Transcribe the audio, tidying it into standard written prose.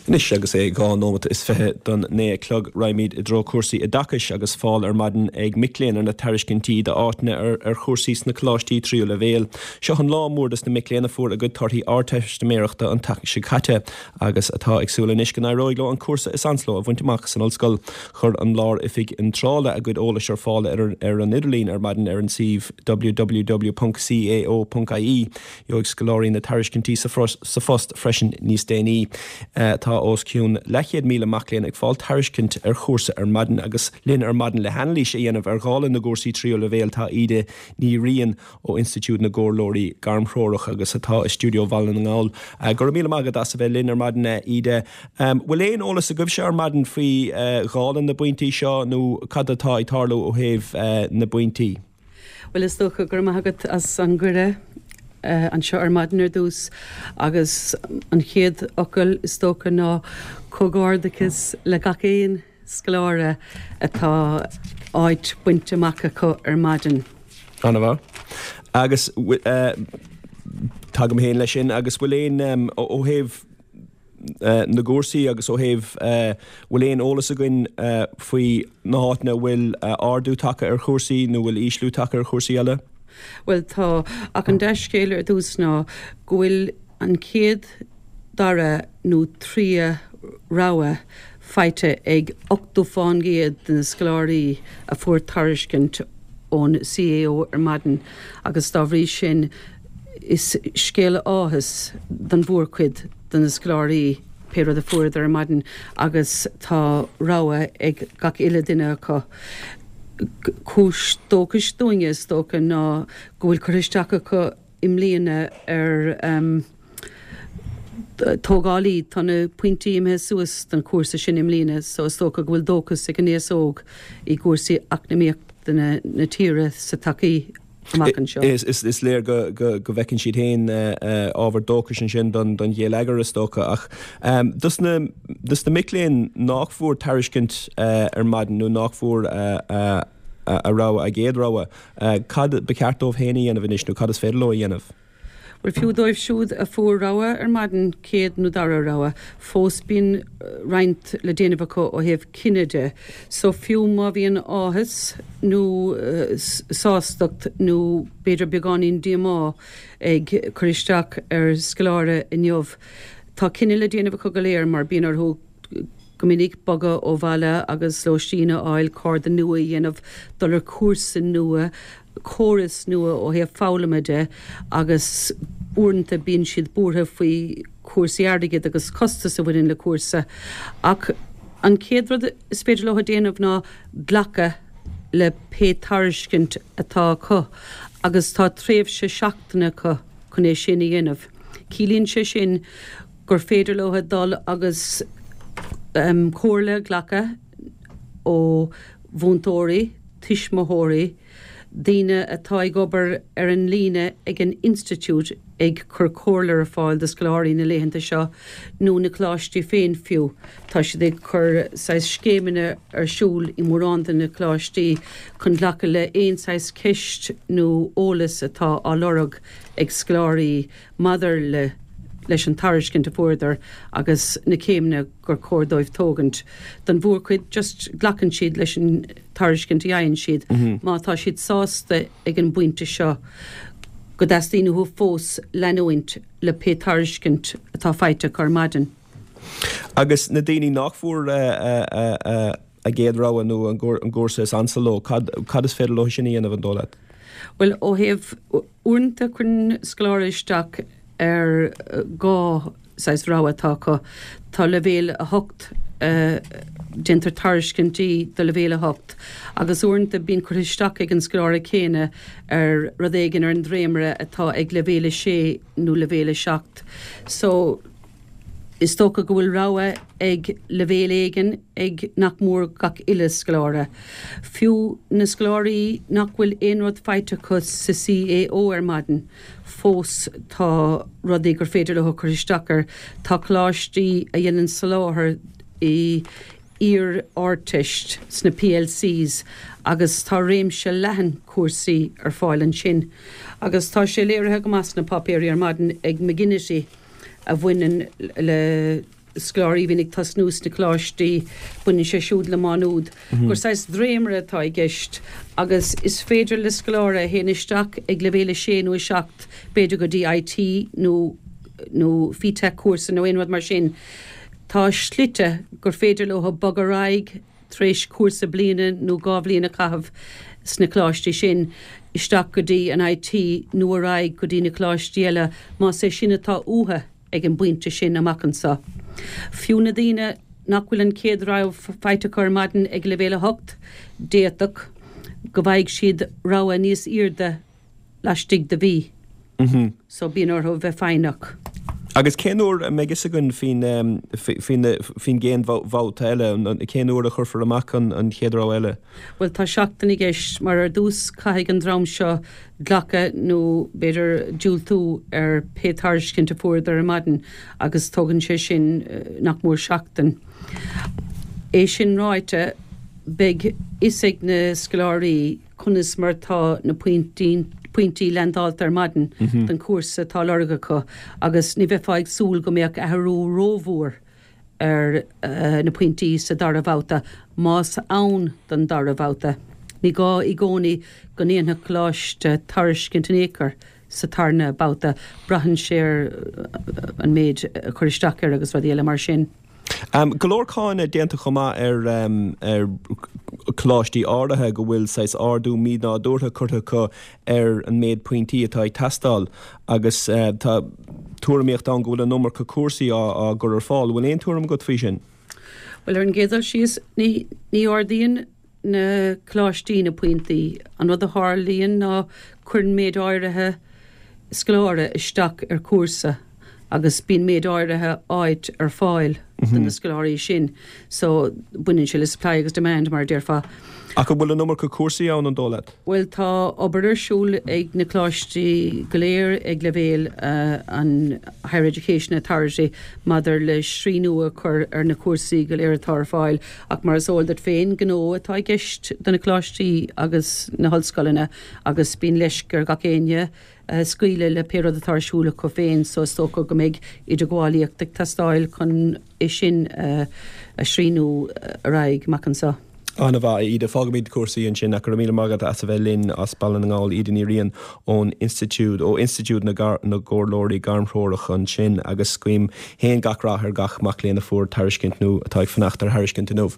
Anois agus é 2 nóimeat is 20 don 9 a chlog, raghaimid i dtreo cúrsaí oideachais agus fáil ar maidin ag mic léinn ar na tairiscintí d'áiteanna ar chúrsaí sna coláistí tríú leibhéal. Seo an lá mór dos na mic léinn a fuair a gcuid torthaí Ardteistiméireachta an tseachtain seo caite agus atá ag súil anois go n-éireoidh leo an cúrsa is ansa leo a bhaint amach san ollscoil. Chuir an Lár-Oifig Iontrála a gcuid eolais ar fáil ar an idirlíon ar maidin ar an suíomh www.cao.ie. Gheobhaidh scoláirí na tairiscintí sa phost freisin níos déanaí. Tá os cionn leathchéad míle mac léinn ag fáil tairiscint ar chúrsa ar maidin agus linn ar maidin le hanailís a dhéanamh ar dháileadh na gcúrsaí tríú leibhéal tá Íde Ní Riain ó Institiúid na gComhairleoirí Gairmthreorach agus atá i stiúideo Bhaile na nGall. Go raibh míle maith agat as a bheith linn ar maidin a Íde. Bhfuil aon eolas agaibhse ar maidin faoi dháileadh na bpointí seo nó cad atá ag tarlú ó thaobh na bpointí? Bhuel, is dócha go raibh maith agat as an gcuireadh anseo ar maidin ar dtús agus an chéad fhocal is dócha ná comhghairdeachas le gach aon scoláire atá áit bainte amach acu ar maidin. Ana-mhaith. Agus tagaim féin leis sin agus bhfuil aon, ó thaobh na gcúrsaí agus ó thaobh bhfuil aon eolas againn faoi na háiteanna a bhfuil ardú tagtha ar chúrsaí nó bhfuil ísliú tagtha ar chúrsaí eile? Bhuel tá, ach an dea-scéal ar dtús ná go bhfuil an chéad, dara nó tríú rogha faighte ag 80% de na scoláirí a fuair tairiscint ón CAO ar maidin agus dá bhrí sin is scéala áthais don mhórchuid de na scoláirí pé rud a fuaireadar ar maidin agus tá rogha ag gach uile duine acu. Cúis dóchais dúinne is dócha ná go bhfuil curtha isteach acu i mbliana ar tógálaí. Tá na pointí imithe suas don chúrsa sin i mbliana so is dócha go bhfuil dóchas ag an aos óg i gcúrsaí eacnamaíochta na tíre sa todhchaí amach anseo. Is léir go bhfeiceann siad féin ábhar dóchais ansin don gheilleagar is dócha ach dos na mic léinn nách bhfuair tairiscint ar maidin nó nách bhfuair a rogha, a gcéad rogha, cad ba cheart dóibh féin a dhéanamh anois nó cad is féidir leo a dhéanamh? Bhuel, fiú dóibh siúd a fuair rogha ar maidin, céad nó dara rogha, fós bíonn roinnt le déanamh acu ó thaobh cinneadh de. So fiú má bhíonn áthas nó sástacht nó b'fhéidir beagáinín díomá ag cur isteach ar scoláire inniu, tá cinneadh le déanamh acu go léir mar bíonn orthu go minic bogadh ó bhaile agus lóistín a fháil, cairde nua a dhéanamh, dul ar chúrsa nua, córas nua ó thaobh foghlama de agus uaireanta bíonn siad buartha faoi chúrsaí airgid agus costas a bhaineann le cúrsa. Ach an chéad rud is féidir leo a déanamh ná glacadh le pé tairiscint atá acu agus tá tréimhse seachtaine acu chun é sin a dhéanamh. Ciallaíonn sé sin gur féidir leo dul agus comhairle a ghlacadh ó mhúinteoirí, tuismitheoirí, daoine atá ag obair ar an líne ag an institiúid ag cur comhairle ar fáil do scoláirí na laethanta seo, nó na coláistí féin fiú. Tá siad ag cur saghas scéimeanna ar siúl i mórán de na coláistí chun glacadh le aon saghas ceist nó eolas atá á lorg ag scoláirí maidir le leis an tairiscint a fuaireadar agus na céimeanna gur chóir dóibh tógaint. Don mhórchuid, just glacann siad leis an tairiscint a fhaigheann siad. Má tá siad sásta ag an bpointe seo go dteastaíonn uathu fós leanúint le pé tairiscint atá faighte acu ar maidin. Agus na daoine nach bhfuair a gcéad rogha nó an gcúrsa is ansa leo, cad cad is féidir leo sin a dhéanamh an dóigh leat? Bhuel, ó thaobh, uaireanta cuireann scoláire isteach ar dhá saghas rogha atá acu. Tá leibhéal 8, déantar tairiscintí do leibhéal 8 agus uaireanta bíonn curtha isteach ag an scoláire céanna ar rud éigin ar an dréimire atá ag leibhéal 6 nó leibhéal 7. So, Is dócha go bhfuil rogha ag leibhéal éigin ag nach mór gach uile scoláire. Fiú na scoláirí nach bhfuil aon rud faighte acu sa CAO ar maidin, fós tá rudaí gur féidir leo cur isteach air. Tá coláistí a dhéanann soláthar i iar-Ardteist sna PLCs agus tá réimse leathan cúrsaí ar fáil ansin. Agus tá sé léirithe go maith sna páipéirí ar maidin ag McGinnity, a bhaineann le. scoláirí a bhíonn ag tosnú sna coláistí, baineann sé siúd le Má Nuad, gur saghas dréimire atá i gceist agus is féidir le scoláire a théann isteach ag leibhéal 6 nó 7, b'fhéidir go dtí IT nó nó FETAC cúrsa nó aon rud mar sin, tá slite gur féidir leo bogadh ar aghaidh tar éis cúrsa bliana nó 2 bhliain a chaitheamh sna coláistí sin, isteach go dtí an IT nó ar aghaidh go dtí na coláistí eile más é sin atá uathu ag an bpointe sin amach anseo. Fiú na daoine nach bhfuil an chéad rogha faighte acu ar maidin ag leibhéal 8, d'fhéadfadh go bhfaighidh siad rogha níos airde laistigh de mhí. So bíonn orthu bheith foighneach. Agus cén uair a mbeidh fhios againn faoin faoin gcéad bhabhta eile? Cén uair a chuirfear amach an chéad rogha eile? Bhuel tá seachtain i gceist mar ar dtús caithfidh an dream seo glacadh nó b'fhéidir diúltú ar pé tairiscint a fuaireadar ar maidin agus tógann sé sin nach mór seachtain. É sin ráite beidh fhios ag na scoláirí conas mar atá na pointí leaindeálta ar maidin don chúrsa atá á lorg acu agus ní bheifeá ag súil go mbeadh athrú rómhór ar na pointí sa dara babhta, más ann don dara babhta. Ní gá i gcónaí go ndéanfadh coláiste tairiscint in aon chor sa tarna babhta, braitheann sé ar an méid a chuir isteach air agus rudaí eile mar sin. Go leor cáineadh déanta chomh maith ar choláistí áirithe go bhfuil saghas ardú mínádúrtha curtha acu ar an méid pointí atá ag teastáil agus tá tuairimíocht ann go bhfuil an iomarca cúrsaí á gcur ar fáil. An bhfuil aon tuairim agat faoi sin? Bhuel, ar an gcéad dul síos, ní ardaíonn na coláistí na pointí. An rud a tharlaíonn ná cuireann méid áirithe scoláire isteach ar chúrsa agus bíonn méid áirithe áit ar fáil do na scoláirí sin. So, baineann sé le supply agus demand, mar a déarfá. Ach an bhfuil an iomarca cúrsaí ann, an dóigh leat? Bhuel, tá obair ar siúl ag na coláistí go léir ag leibhéal an Higher Education Authority maidir le srianú a chur ar na cúrsaí go léir atá ar fáil ach mar is eol duit féin, gnó atá i gceist do na coláistí agus na hollscoileanna agus bíonn leisc ar gach éinne scaoileadh le pé rud atá ar siúl acu féin so is dócha go mbeidh idirghabhálaíocht ag teastáil chun é sin a shrianú ar aghaidh amach anseo. An-mhaith, a Íde. Fágfaimid cúrsaí ansin ach go raibh míle maith agat as a bheith linn as Baile na nGall, Íde Ní Riain ón Institiúid, ó Institiúid na gComhairleoirí Gairmthreorach ansin agus guím féin gach rath ar gach mac léinn a fuair tairiscint nó atá ag fanacht ar thairiscint inniu.